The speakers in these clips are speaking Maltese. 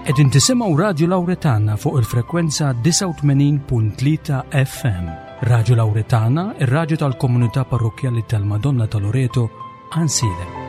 Qegħdin tisimgħu Radju Lawretana fuq il-frekwenza 89.3 FM. Radju Lawretana, ir-radju tal-komunità parrokkjali tal-Madonna ta' Loreto, Għansielem.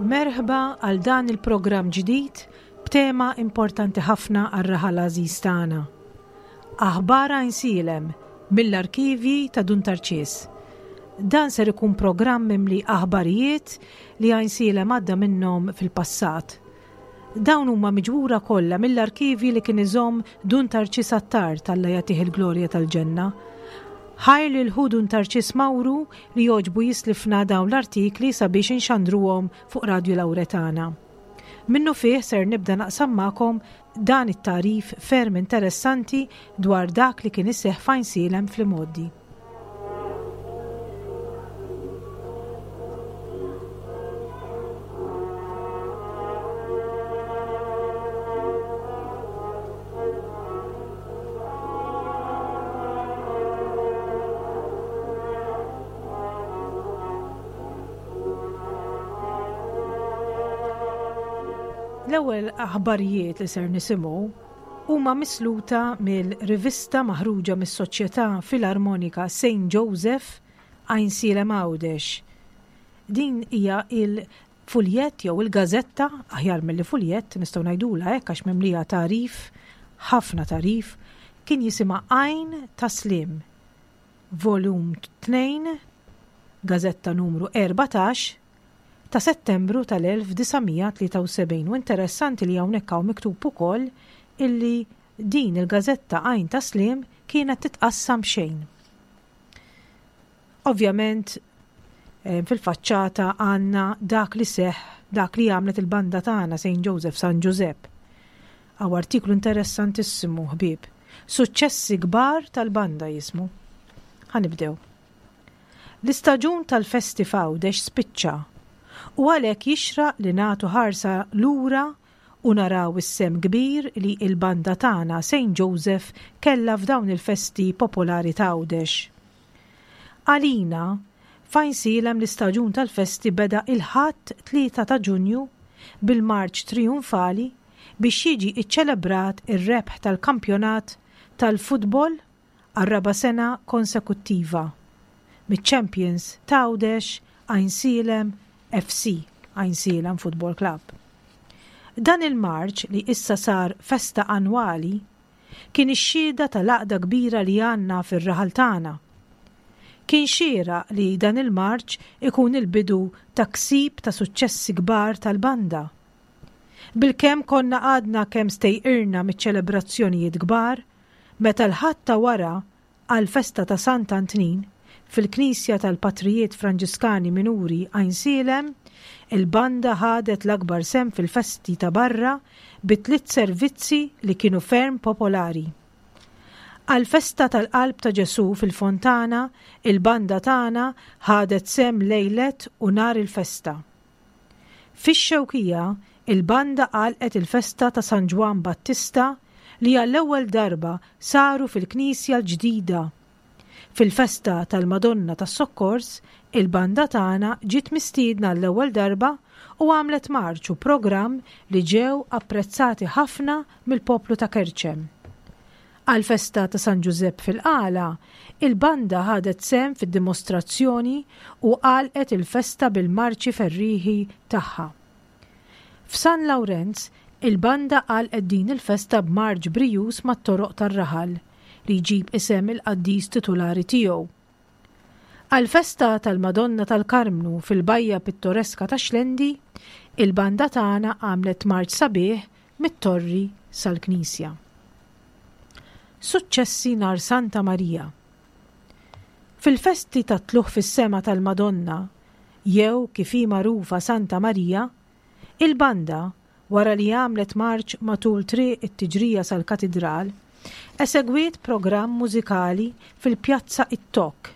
Merħba għal dan il-programm ġdid b'tema importanti ħafna għar-raħal għażiż tagħna. Aħbar Għajnsielem mill-arkivji ta' Dun Tarċis. Dan ser ikun programm mimli aħbarijiet li Għajnsielem għadda minnhom fil-passat. Dawn huma miġbura kollha mill-arkivji li kien iżomm Dun Tarċis Attard Alla jagħtih il-glorja tal-ġenna. Ħajr lil ħu Dun Tarċis Mawru li jogħġbu jislifna dawn l-artikli sabiex inxandruhom fuq Radju Lawretana. Minnufih ser nibda naqsam magħkom dan it-tagħrif ferm interessanti dwar dak li kien iseħħ f'Għajnsielem fl-imgħoddi. L-ewwel aħbarijiet li ser nisimgħu huma misluta mill-rivista maħruġa mis-Soċjetà Filarmonika Saint Joseph Għajnsielem Għawdex. Din hija il-fuljett jew il-gażetta, aħjar milli fuljett, nistgħu ngħidulha hekk għax mimlija tagħrif, ħafna tagħrif, kien jisimha Għajn ta' Sliem. Volum 2, Gażetta numru 14, ta' Settembru tal-1973 u interessanti li hawnhekk hawn miktub ukoll illi din il-gażetta Għajn ta' Sliem kienet titqassam b'xejn. Ovvjament eh, fil-faċċata għandna dak li seħ, dak li għamlet il-banda tagħna St. Joseph San Giuseppe. Hawn artiklu interessantissimu ħbieb. Suċċessi kbar tal-banda jismu. Ħa nibdew. L-istaġun tal-festi f'Għawdex spiċċa u għalhekk jixraq li nagħtu ħarsa lura u naraw is-sehem kbir li l-banda tagħna Saint Joseph kellha f'dawn il-festi popolari t'Għawdex. Għalina, f'Għajnsielem l-istaġun tal-festi beda il-Ħadd 3 ta' Ġunju bil-marċ trijunfali biex jiġi ċċelebrat ir-rebħ tal-kampjonat tal-futbol għar-raba' sena konsekuttiva miċ-champions t'Għawdex Għajnsielem FC, Għajnsielem Football Club. Dan il-marċ li issa sar festa annwali kien ix-xhieda tal-għaqda kbira li għandna fir-raħal tagħna. Kien xieraq li dan il-marċ ikun il-bidu ta' ksib ta' suċċessi kbar tal-banda. Bilkemm konna għadna kemm stejqirna miċ-ċelebrazzjonijiet kbar, meta l-Ħadd ta' wara għall-festa ta' Sant Antnin, fil-Knisja tal-Patrijiet Franġiskani Minuri Għajnsielem, il-banda ħadet l-akbar sehem fil-festi ta' barra bi tliet servizzi li kienu ferm popolari. Għall-festa tal-Qalb ta' Ġesù fil-Fontana, il-banda tagħna ħadet sehem lejlet u nhar il-festa. Fix-Xewkija, il-banda għalqet il-festa ta' San Ġwann Battista li għall-ewwel darba saru fil-knisja l-ġdida. Fil-festa tal-Madonna tas-Sokkors, il-banda tagħna ġiet mistiedna għall-ewwel darba u għamlet marċ u programm li ġew apprezzati ħafna mill-poplu ta' Kerċem. Għall-festa ta' San Ġużepp fil-Qala, il-banda ħadet sehem fid-dimostrazzjoni u għalqet il-festa bil-marċi ferrieħi tagħha. F'San Lawrenz, il-banda għalqet din il-festa b'marċ brijuż mat-toroq tar-raħal, li jġib isem il-qaddis titulari tiegħu. Għall-festa tal-Madonna tal-Karmnu fil-bajja pittoreska ta' Xlendi, il-banda tagħna għamlet marċ sabiħ mit-torri sal-knisja. Suċċessi nhar Santa Marija Fil-festi tat-Tlugħ fis-Sema tal-Madonna, jew kif hi magħrufa Santa Marija, il-banda, wara li għamlet marċ matul Triq it-Tiġrija sal-Katidral, esegwiet programm mużikali fil-Pjazza It-Tokk,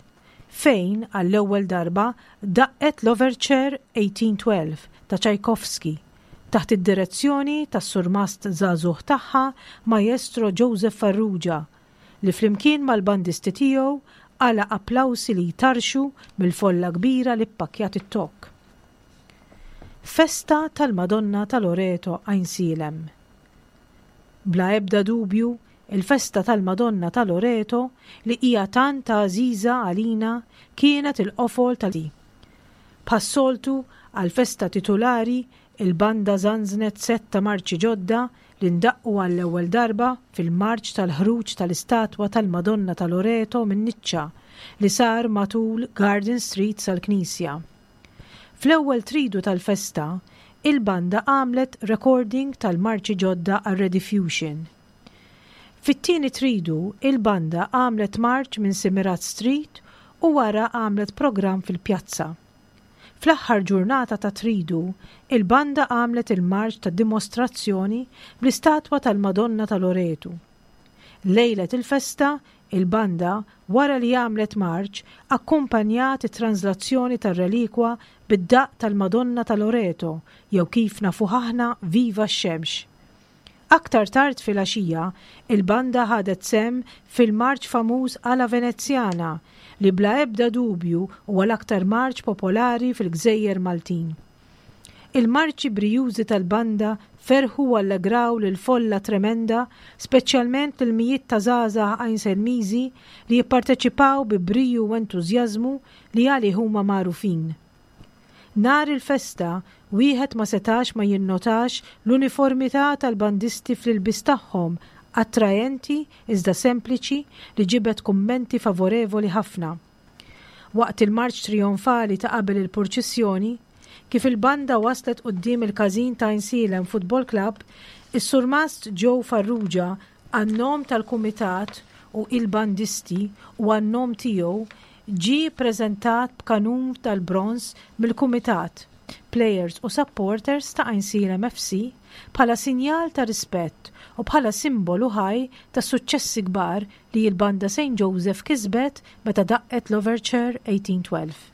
fejn għall-ewwel darba daqqet l-Overture 1812 ta' Tchaikovsky taħt id-direzzjoni tas-surmast żagħżugħ tagħha Maestro Joseph Farrugia li flimkien mal-bandisti tiegħu qala' applawsi li jtarrxu mill-folla kbira li ppakkjat it-Tokk. Festa tal-Madonna ta' Loreto Għajnsielem Bla ebda dubju, il-festa tal-Madonna ta' Loreto li hija tant għażiża għalina kienet il-qofol ta' Bħas-soltu, għall-festa titulari, il-banda żanżnet sett ta' marċi ġodda li ndaqqu għall-ewwel darba fil-marċ tal-ħruġ tal-istatwa tal-Madonna ta' Loreto min-niċċa li sar matul Garden Street sal-knisja. Fl-ewwel tridu tal-festa, il-banda għamlet recording tal-marċi ġodda għar-Rediffusion. Fit-tieni tridu, il-banda għamlet marċ minn Simirat Street u wara għamlet programm fil-pjazza. Fl-aħħar ġurnata tat-tridu, il-banda għamlet il-marċ ta' dimostrazzjoni bl-istatwa tal-Madonna ta' Loretu. Lejlet il-festa, il-banda, wara li għamlet marċ, akkumpanjat it-tranżlazzjoni tar-relikwa bid-daqq tal-Madonna ta' Loreto jew kif nafuh aħna Viva x-Xemx. Aktar tard filgħaxija, il-banda ħadet sehem fil-marċ famuż Ala Veneziana li bla ebda dubju huwa l-aktar marċ popolari fil-gżejjer Maltin. Il-marċi brijużi tal-banda ferrħu u allegraw lill-folla tremenda, speċjalment lill-mijiet ta' żgħażagħ Għajnselmiżi li jipparteċipaw bi briju u entużjażmu li għalih huma magħrufin. Nhar il-festa, wieħed ma setax ma jinnotax l-uniformità tal-bandisti fl-ilbies tagħhom attraenti iżda sempliċi li ġibed kummenti favorevoli ħafna. Waqt il-marċ trijonfali ta' qabel il-purċissjoni, kif il-banda waslet quddiem il-każin ta' Għajnsielem Football Club, is-Surmast Joe Farrugia għan-nom tal-kumitat u il-bandisti u għan-nom tiegħu ġie ppreżentat b'kanun tal-bronż mill-kumitat, plejers u supporters ta' Għajnsielem FC bħala sinjal ta' rispett u bħala simbolu ħaj tas-suċċessi kbar li l-Banda Saint Joseph kisbet meta daqqet l-Overture 1812.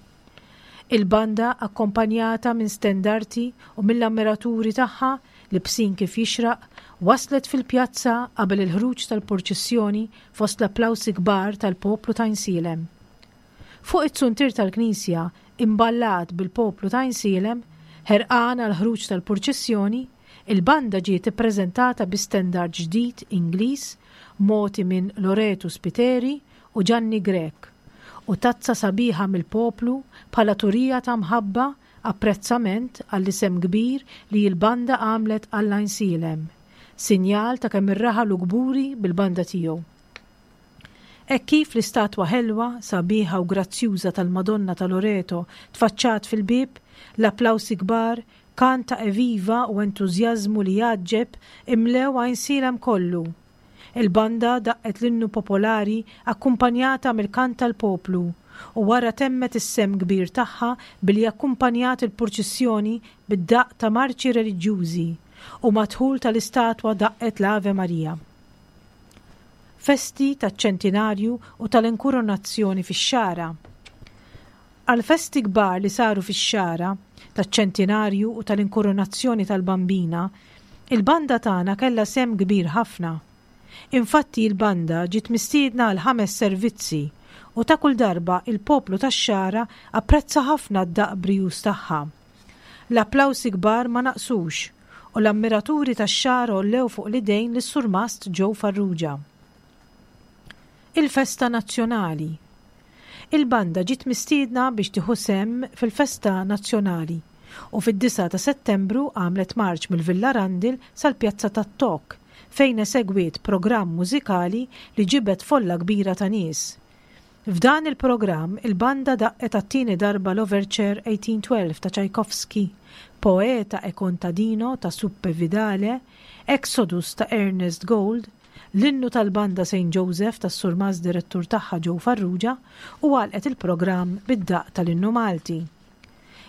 Il-banda akkompanjata minn stendarti u mill-ammiraturi tagħha libsin kif jixraq, waslet fil-pjazza qabel il-ħruġ tal-purċissjoni fost l-applawsi kbar tal-poplu t'Għajnsielem. Fuq it-zuntier tal-knisja imballat bil-poplu t'Għajnsielem, ħerqan għall-ħruġ tal-purċissjoni, il-banda ġiet ippreżentata bi stendard ġdid Ingliż mogħti minn Loretu Spiteri u Ġanni Grech, u tazza sabiħa mill-poplu bħala turija ta' mħabba, apprezzament għall-isem kbir li l-banda għamlet għall-Għajnsielem, sinjal ta' kemm ir-raħal hu kburi bil-banda tiegħu. Hekk kif l-istatwa ħelwa, sabiħa u grazzjuża tal-Madonna ta' Loreto tfaċċat fil-bieb, l-applawsi kbar, kant ta' eviva u entużjażmu li jgħaġġeb imlew Għajnsielem kollu. Il-banda daqqet l-innu popolari akkumpanjata mill-kant tal-poplu u wara temmet is-sehem kbir tagħha billi akkumpanjat il-purċissjoni bid-daqq ta' marċi reliġjużi u mad-dħul tal-istatwa daqqet l-Ave Maria. Festi taċ-ċentinarju u tal-inkurunazzjoni fix-Xagħra. Għall-festi kbar li saru fix-Xagħra, taċ-ċentinarju u tal-inkurunazzjoni tal-Bambina, il-banda tagħna kellha sehem kbir ħafna. Infatti il-banda ġiet mistiedna għal ħames servizzi u ta' kull darba il-poplu tax-Xagħra apprezza ħafna d-daqq brijuż tagħha. L-applawsi kbar ma naqsux u l-ammiraturi tax-xagħar għollew fuq l-idejn lis-Surmast Joe Farrugia. Il-Festa Nazzjonali Il-banda ġiet mistiedna biex tieħu sehem fil-Festa Nazzjonali u fid-disgħa ta' Settembru għamlet marċ mill-Villa Randil sal-Pjazza tat-Tokk fejn esegwiet programm mużikali li ġibed folla kbira ta' nies. F'dan il-programm il-banda daqqet għat-tieni darba l-Overture 1812 ta' Tchaikovsky, Poeta e Contadino ta' Suppe Vidale, Exodus ta' Ernest Gold, l-innu tal-banda Saint Joseph tas-Surmast Direttur tagħha Joe Farrugia u għalqet il-programm bid-daqq tal-Innu Malti.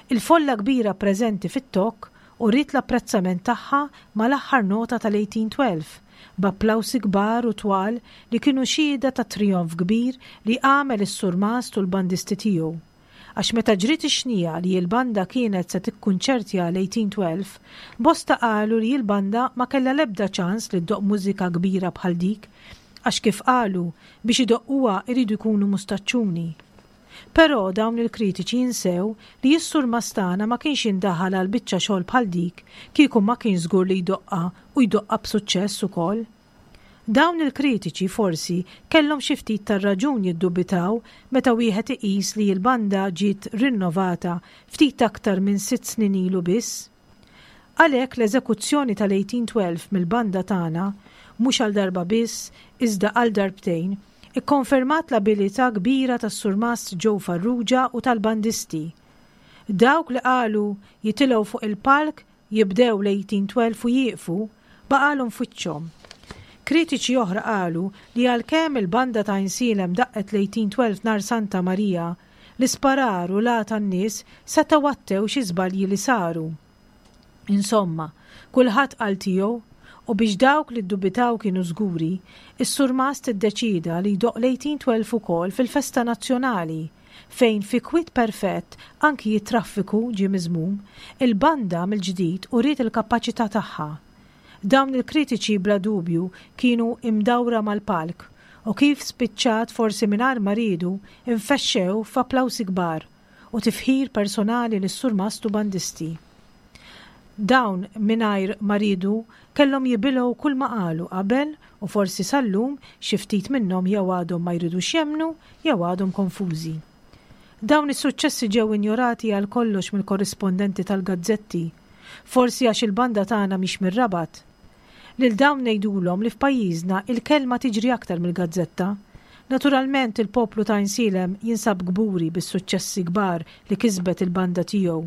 Il-folla kbira preżenti fit-tokk uriet l-apprezzament tagħha mal-aħħar nota tal-1812, b'applawsi kbar u twal li kienu xhieda tat-trijonf kbir li għamel is-surmast u l-bandisti tiegħu. Għax meta ġriet ix-xniegħa li l-banda kienet se tikkunċertja l-1812, bosta qalu li l-banda ma kellha l-ebda ċans li ddoqq mużika kbira bħal dik, għax kif qalu, biex idoqquha jridu jkunu mustaċċuni. Però dawn il-kritiċi jinsew li s-surmast tagħna ma kienx jindaħal għal biċċa xogħol bħal dik kieku ma kienx żgur li jdoqqha u jdoqqha b'suċċess ukoll. Dawn il-kritiċi forsi kellhom xi ftit tar-raġun jiddubitaw meta wieħed iqis li l-banda ġiet rinnovata ftit aktar minn sitt snin ilu biss. Għalhekk l-eżekuzzjoni tal-1812 mill-banda tagħna, mhux għal darba biss iżda għal darbtejn, ikkonfermat l-abilità kbira tas-Surmast Joe Farrugia u tal-bandisti. Dawk li qalu jitilgħu fuq il-palk, jibdew l-1812 u jieqfu, baqgħalhom f'wiċċhom. Kritiċi oħra qalu li għalkemm il-banda ta' Għajnsielem daqqet l-1812 nhar Santa Marija, L-isparar u l-għa tan-nies setgħu għattew xi żbalji li saru. Insomma, kulħadd qal tiegħu u biex dawk li ddubitaw kienu żguri, is-surmast iddeċieda li jdoqq l-1812 ukoll fil-festa nazzjonali, fejn fi kwiet perfett anki t-traffiku ġie miżmum, il-banda mill-ġdid uriet il-kapaċità tagħha. Dawn il-kritiċi bla dubju kienu imdawra mal-palk u kif spiċċat forsi mingħajr ma riedu infexxew f'applawsi kbar u tifħir personali lis-surmast u bandisti. Dawn mingħajr ma riedu kellhom jibilgħu kull ma qalu qabel u forsi sal-lum xi ftit minnhom jew għadhom ma jridux jemmnu jew għadhom konfużi. Dawn is-suċċessi ġew injorati għal kollox mill-korrispondenti tal-gazzetti. Forsi għax il-banda tagħna mhix mir-Rabat. Lil dawn ngħidulhom li f'pajjiżna il-kelma tiġri aktar mill-gazzetta. Naturalment il-poplu ta' Għajnsielem jinsab kburi bis-suċċessi kbar li kisbet il-banda tiegħu.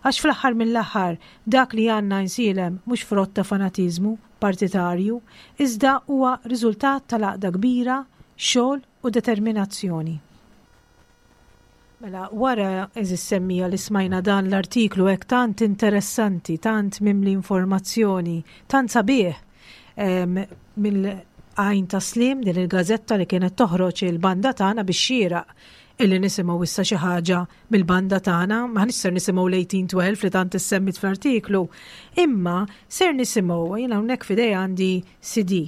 Għax fl-aħħar mill-aħħar dak li għandna Għajnsielem mhux frott ta' fanatiżmu partitarju iżda huwa riżultat tal-għaqda kbira, xogħol u determinazzjoni. Mela, wara, għeżież semmiegħa li smajna dan l-artiklu hekk tant interessanti, tant mimli informazzjoni, tant sabiħ mill-Għajn ta' Slim, din il-gazzetta li kienet toħroġ il-banda tagħna biex xieraq illi nisimgħu issa xi ħaġa mill-banda tagħna, ma ser nisimgħu l-1812 li tant issemmit fl-artiklu, imma ser nisimgħu jiena hawnhekk f'idej għandi CD.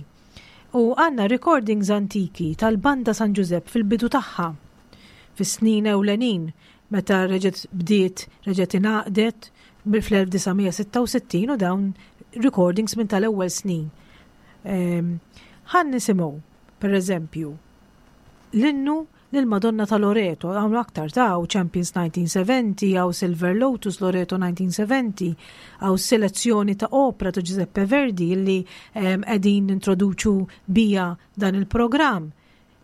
U għandna recordings antiki tal-banda San Ġużepp fil-bidu tagħha. Fis-snin ewlenin meta reġgħet bdiet, reġgħet ingħaqdet fl-1966 u dawn recordings minn tal-ewwel snin. Ehm, ħan nisimgħu, per eżempju, l-innu lil Madonna ta' Loreto, hawn aktar ta' hawn Champions 1970, hawn Silver Lotus Loreto 1970, hawn selezzjoni ta' opra ta' Giuseppe Verdi li ehm, qegħdin nintroduċu bija dan il-programm.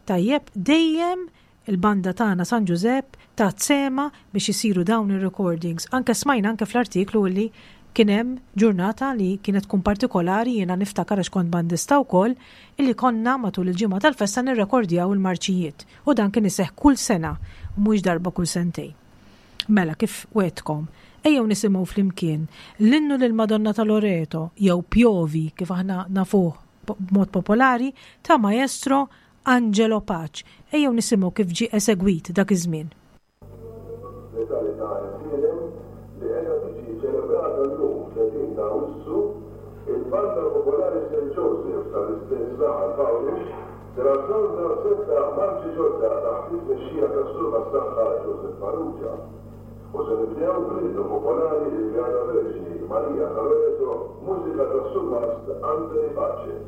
Tajjeb, dejjem il-banda tagħna San Ġużepp tat sehemha biex isiru dawn ir-recordings. Anke smajna anke fl-artiklu illi kien hemm ġurnata li kienet tkun partikolari jiena niftakar għax kont bandista wkoll illi konna matul il-ġimgħa tal-festa nirrekordjaw il-marċijiet u dan kien iseħħ kull sena u mhux darba kull sentejn. Mela kif wegħdtkom, ejjew nisimgħu flimkien l-innu lill-Madonna ta' Loreto jew Pjovi kif aħna nafuh b'mod popolari ta' Maestro Angelo Pace. Ejjew nisimgħu kif ġie esegwit dak iż-żmien. L-Età ta' Għajnsielem li qiegħda tiġi ċelebrata llum 30 ta' Awwissu, il-Banda Popolari Saint Joseph tal-istess raħal f'Għawdex ser azzorna sett ta' marċi ġodda taħt it-tmexxija tas-Surmast tagħha Joseph Farrugia. U se nibdew bl-innu popolari Il-Beata Verġni Marija ta' Loreto b'mużika tas-Surmast Anthony Pace.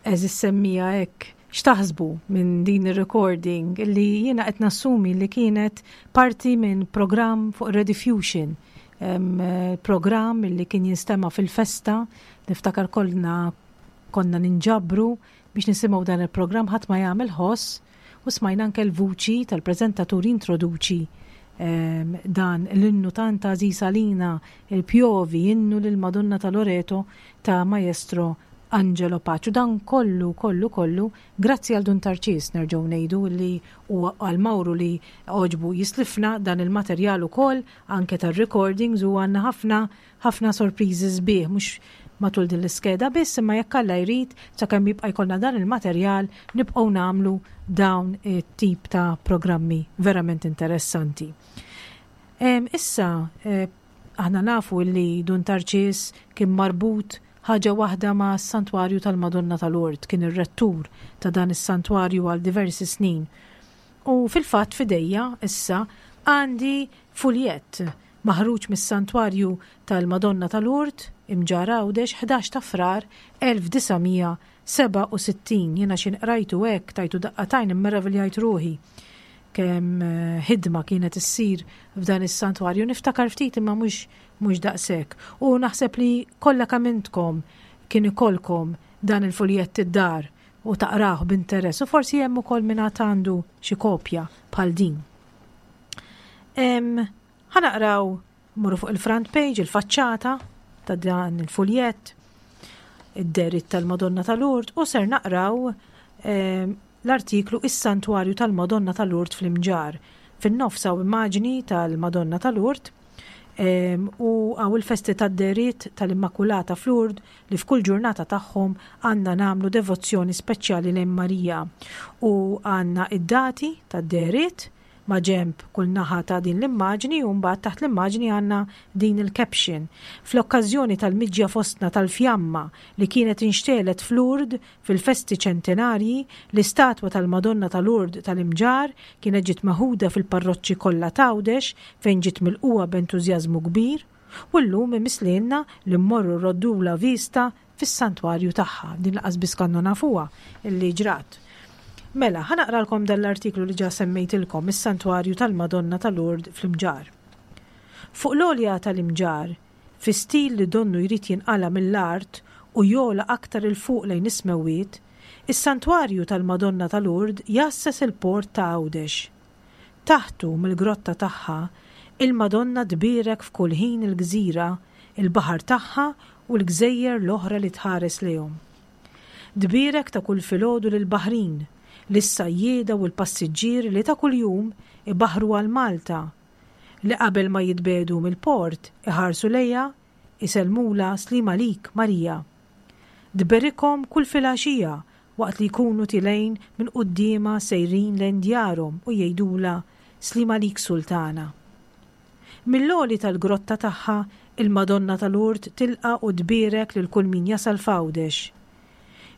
Għeżież semmiegħa hekk, x'taħsbu minn din ir-recording li jiena qed nassumi li kienet parti minn programm fuq Rediffusion, programm li kien jinstema' fil-festa, niftakar kollna konna ninġabru biex nisimgħu dan il-programm ħadd ma jagħmel ħoss u smajna anke l-vuċi tal-preżentatur jintroduċi dan l-innu tant għażiż għalina, il-Pjovi, innu lill-Madonna ta' Loreto ta' Maestro Angelo Pace. U dan kollu, kollu, kollu, grazzi għal Dun Tarċis nerġgħu ngħidu li u għal Mawru li għoġbu jislifna dan il-materjal ukoll anke tar-recordings u għandna ħafna ħafna sorpriżi sbieħ mhux matul din l-iskeda biss imma jekk Alla jrid sakemm jibqa' jkollna dan il-materjal nibqgħu nagħmlu dawn it-tip ta' programmi verament interessanti. Issa eh, aħna nafu li Dun Tarċis kien marbut ħaġa waħda ma' santwarju tal-Madonna tal-Ord, kien ir-rettur ta' dan is-santwarju għal diversi snin. U fil-fatt fidejja issa għandi fuljett maħruġ mis-Santwarju tal-Madonna ta' Lourdes, Imġarr Għawdex, 11 ta' Frar 1967. Jiena x'ħin qrajtu hekk tajtu daqqa t'għajn immeraviljajt ruħi kemm ħidma kienet issir f'dan is-santwarju. Niftakar ftit imma mhux mhux daqshekk. U naħseb li kollha kemm intkom kien ikollkom dan il-fuljett id-dar u taqrah b'interess u forsi hemm ukoll min għad għandu xi kopja bħal din. Ħa naqraw, mmorru fuq il-front page, il-faċċata ta' dan il-fuljett, id-derit tal-Madonna ta' Lourdes, u ser naqraw l-artiklu Is-Santwarju tal-Madonna ta' Lourdes fl-Imġarr. Fin-nofs hawn immaġni tal-Madonna ta' Lourdes u hawn il-festi tad-deriet tal-Immakulata f'Lourdes li f'kull ġurnata tagħhom għandna nagħmlu devozzjoni speċjali lejn Marija. U għandna id-dati tad-deriet maġenb kull naħa ta' din l-immaġni u mbagħad taħt l-immaġni għandna din il-caption. Fl-okkażjoni tal-miġja fostna tal-fjamma li kienet inxtegħlet f'Lourdes fil-festi ċentenarji, l-istatwa tal-Madonna ta' Lourdes tal-Imġarr kienet ġiet meħuda fil-parroċċi kollha t'Għawdex fejn ġiet milqugħa b'entużjażmu kbir u llum imiss lilna li mmorru rroddulha vista fis-santwarju tagħha. Din laqas biss kannu nafuha illi ġrat. Mela, ħa naqralkom dan l-artiklu li ġa semmejtilkom, is-Santwarju tal-Madonna ta' Lourdes fl-Imġarr. Fuq l-għolja tal-Imġarr, fi stil li donnu jrid jinqala' mill-art u jogħla aktar 'il fuq lejn is-smewwiet, is-Santwarju tal-Madonna ta' Lourdes jgħasses il-port ta' Għawdex. Taħtu, mill-grotta tagħha, il-Madonna tbierek f'kull ħin il-gżira, il-baħar tagħha u l-gżejjer l-oħra li tħares lejhom. Tbierek ta' kull filgħodu lill-baħrin, lis-sajjieda u l-passiġġieri li ta' kuljum ibaħħru għal Malta, li qabel ma jitbiegħdu mill-port iħarsu lejha, isellmulha Sliem għalik, Marija. Tberikhom kull filgħaxija waqt li jkunu tilgħin minn quddiemha sejrin lejn djarhom u jgħidulha, Sliem għalik Sultana. Mill-għoli tal-grotta tagħha, il-Madonna ta' Lourdes tilqa' u tbierek lil kull min jasal f'Għawdex.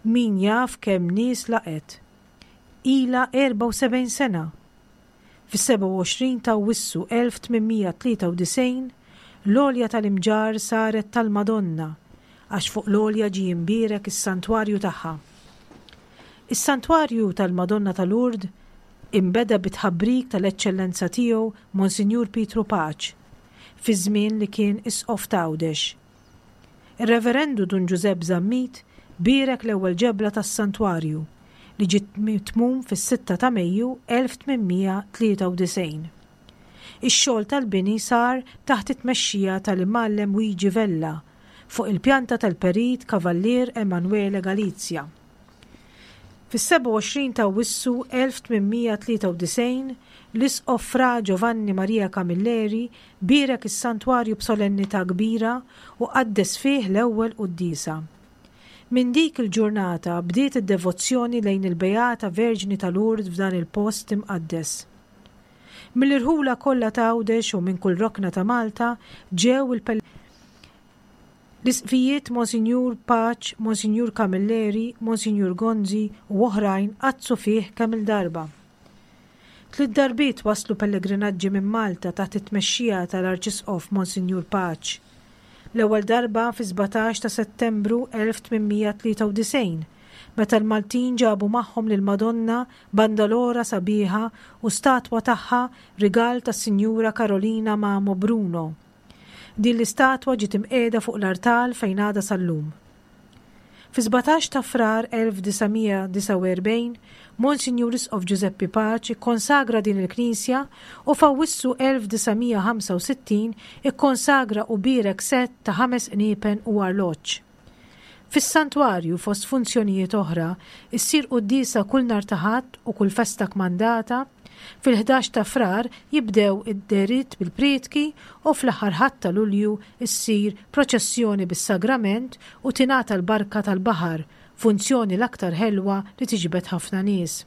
Min jaf kemm nies laqgħet. Ilha 74 sena Fis-27 ta' Awwissu 1893, l-għolja tal-Imġarr saret tal-Madonna għax fuq l-għolja ġie imbierek is-santwarju tagħha. Is-santwarju tal-Madonna ta' Lourdes inbeda bit-tħabbrik tal-Eċċellenza Tiegħu Monsinjur Pietru Pace fiż-żmien li kien Isqof t'Għawdex. Ir-Reverendu Dun Ġużepp Zammit bierek l-ewwel ġebla tas-santwarju, li ġiet mitmum fis-sitta ta' Mejju 1893. Ix-xogħol tal-bini sar taħt it-tmexxija tal-Imgħallem Wiġi Vella, fuq il-pjanta tal-Perit Kavallier Emanuele Galizia. Fis-27 ta' Awwissu 1893, l-Isqof Fra Giovanni Maria Camilleri bierek is-santwarju b'solennità kbira u qaddes fih l-ewwel quddiesa. Minn dik il-ġurnata bdiet id-devozzjoni lejn il-Beata Verġni ta' Lourdes f'dan il-post imqaddes. Mill-irħula kollha ta' Għawdex u minn kull rokna ta' Malta ġew il L-Isqfijiet Monsinjur Pace, Monsinjur Camilleri, Monsinjur Gonzi u oħrajn qaddsu fih kemm-il darba. Tliet darbiet waslu pellegrinaġġi minn Malta taħt it-tmexxija tal-Arċisqof Monsinjur Pace. L-ewwel darba fis-17 ta' Settembru 1893, meta l-Maltin ġabu magħhom lill-Madonna bandalora sabiħa u statwa tagħha rigal tas-Sinjura Carolina Mamo Bruno. Din l-istatwa ġiet imqiegħda fuq l-artal fejn għadha sal-lum. Fi-17 ta' Frar 1949, Monsinjur Isqof Ġużeppi Paċ ikkonsagra din il-knisja u f'Awwissu 1965 ikkonsagra u bierek sett ta' ħames qniepen u arloġġ. Fis-santwarju, fost funzjonijiet oħra, issir quddiesa kull nhar ta' Ħadd u kull festa kmandata, fil-ħdax ta' Frar jibdew id-dehriet bil-prietki u fl-aħħar Ħadd ta' Lulju ssir proċessjoni bis-sagrament u tingħata l-barka tal-baħar, funzjoni l-aktar ħelwa li tiġbed ħafna nies.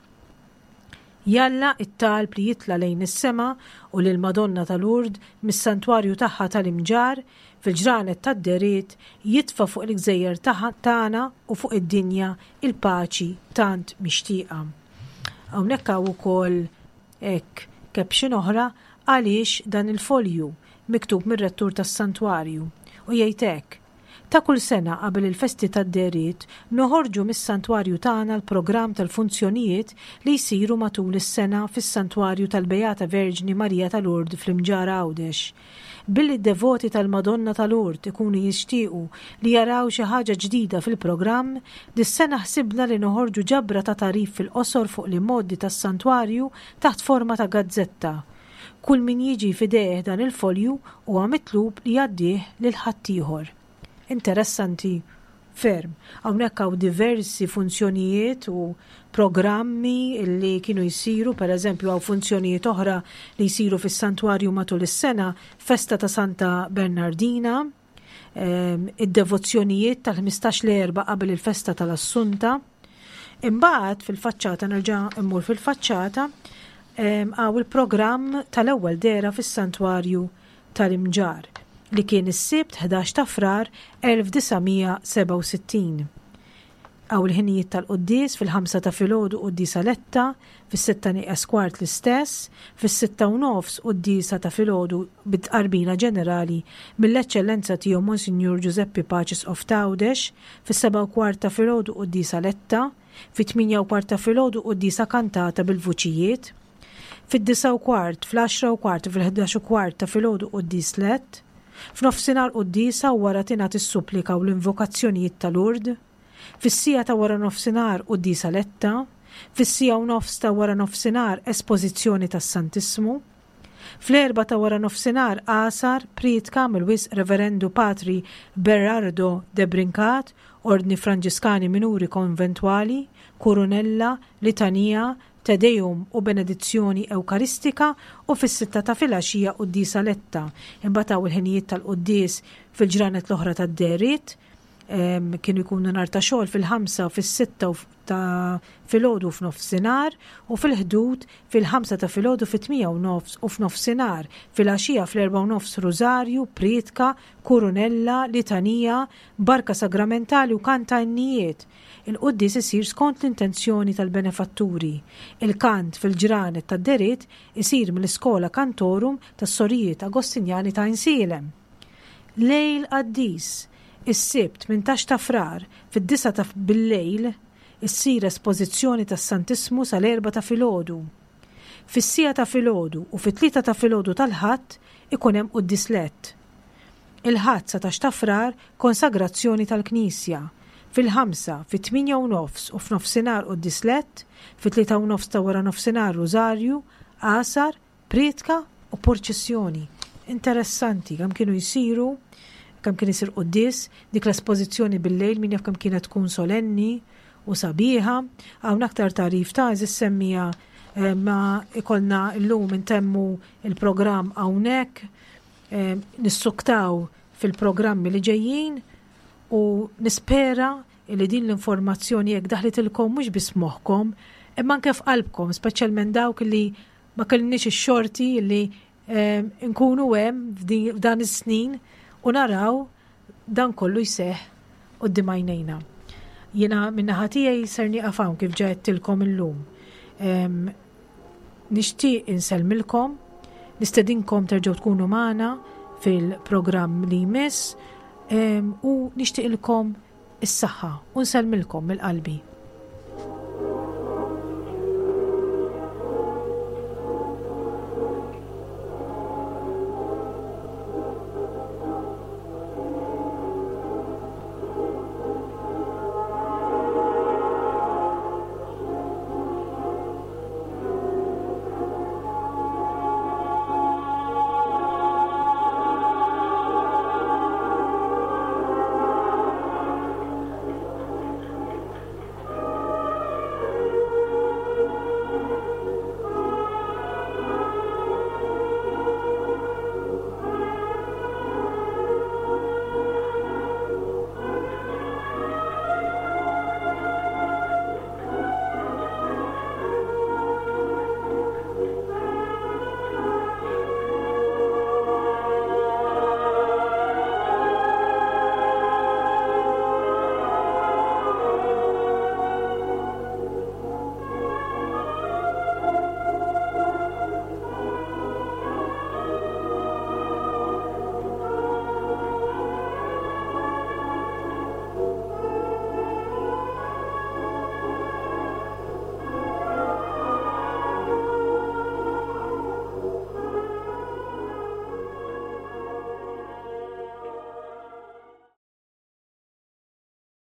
Jalla t-talb li jitla' lejn is-sema u lill-Madonna ta' Lourdes mis-santwarju tagħha tal-Imġarr fil-ġranet tad-dehriet jitfa' fuq il-gżejjer tagħna u fuq id-dinja il-paċi tant mixtieqa. Hawnhekk hawn ukoll hekk caption oħra għaliex dan il-folju miktub mir-rettur tas-santwarju u jgħid hekk, Ta' kull sena qabel il-festi tad-dehriet noħorġu mis-santwarju tagħna l-programm tal-funzjonijiet li jsiru matul is-sena fis-Santwarju tal-Beata Verġni Marija ta' Lourdes fl-Imġarr Għawdex. Billi d-devoti tal-Madonna ta' Lourdes ikunu jixtiequ li jaraw xi ħaġa ġdida fil-programm, dis-sena ħsibna li noħorġu ġabra ta' tagħrif fil-qosor fuq l-imgħoddi tas-Santwarju taħt forma ta' gazzetta. Kull min jiġi f'idejh dan il-folju huwa mitlub li jgħaddih lil ħaddieħor. Interessanti ferm. Hawnhekk hawn diversi funzjonijiet u programmi li kienu jsiru, per eżempju hawn funzjonijiet oħra li jsiru fis-santwarju matul is-sena, festa ta' Santa Bernardina, id-devozzjonijiet tal-15 l-Erbgħa qabel il-festa tal-Assunta. Imbagħad fil-faċċata nerġa' immur fil-faċċata hawn il-programm tal-ewwel dehra fis-Santwarju tal-Imġarr li kien is-Sibt 11 ta' Frar 1967. Hawn il-ħinijiet tal-quddies, fil-ħamsa ta' filgħodu quddiesa letta, fis-sitta nieqes kwart l-istess, fis-sitta u nofs quddiesa ta' filgħodu bit-tqarbina ġenerali mill-Eċċellenza Tiegħu Monsinjur Ġużeppi Paċi Isqof t'Għawdex, fis-sebgħa u kwart ta' filgħodu quddiesa letta, fit-tmienja u kwart ta' filgħodu quddiesa kantata bil-vuċijiet, fid-disgħa u kwart, fl-għaxra u kwart u fil-ħdax u kwart ta' filgħodu quddies lett, f'nofsinhar quddiesa u wara tingħad is-supplika u l-invokazzjonijiet ta' Lourdes. Fis-siegħa ta' waranofsinhar quddiesa letta, fis-siegħa u nofs ta' waranofsinhar espożizzjoni tas-Santissmu. Fl-erbgħa ta' waranofsinhar għasar, prietka mill-Wisq Reverendu Patri Berardo de Brincat, Ordni Franġiskani Minuri Konventwali, Kurunella, Litanija, Te Deum u Benedizzjoni Ewkaristika u fis-sitta ta' filgħaxija quddiesa letta. Imbagħad hawn il-ħinijiet tal-quddies fil-ġranet l-oħra tad-dehriet. Kienu jkunu nhar ta' xogħol fil-ħamsa u fis-sitta ta' filgħodu u f'nofsinhar u fil-Ħdud fil-ħamsa ta' filgħodu fit-tmija u nofs u f'nofsinhar, filgħaxija fl-erbgħa u nofs rużarju, prietka, kurunella, litanija, barka sagramentali u kant ta' innijiet. Il-quddies isir skont l-intenzjoni tal-benefatturi. Il-kant fil-ġranet tad-dehriet isir mill-Iskola Cantorum tas-Sorijiet Agostinjani ta' Għajnsielem. Lejl qaddis, is-Sibt 18 ta' Frar, fid-disgħa ta' billejl, issir espożizzjoni tas-Santissmu sal-erbgħa ta' filgħodu. Fis-siegħa ta' filgħodu u fit-tlieta ta' filgħodu tal-Ħadd ikun hemm quddies lett. Il-Ħadd 19 ta' Frar, konsagrazzjoni tal-Knisja. Fil-ħamsa, fit-tmienja u nofs u f'nofsinhar quddies lett, fit-tlieta u nofs ta' waranofsinhar rużarju, għasar, Prietka u purċissjoni. Interessanti kemm kienu jsiru, kemm kien isir quddies, dik l-espożizzjoni bil-lejl min jaf kemm kienet tkun solenni u sabiħa. Hawn aktar tagħrif ta' eżis semmija eh, ma ikollna llum intemmu il-programm hawnhekk, eh, nissuktaw fil-programmi li ġejjin u nispera li din l-informazzjoni jekk daħlitilkom mhux biss moħħkom, imma anke f'qalbkom, speċjalment dawk li Ma kellniex ix-xorti li ehm, nkunu hemm f'dan is-snin u naraw dan kollu jseħħ quddiem għajnejna. Jiena min-naħa tiegħi ser nieqaf hawn kif ġa għedtilkom illum. Ehm, nixtieq insellmilkom, nistedinkom terġgħu tkunu magħna fil-programm li jmiss ehm, u nixtieqilkom is-saħħa u nsellmilkom mill-qalbi.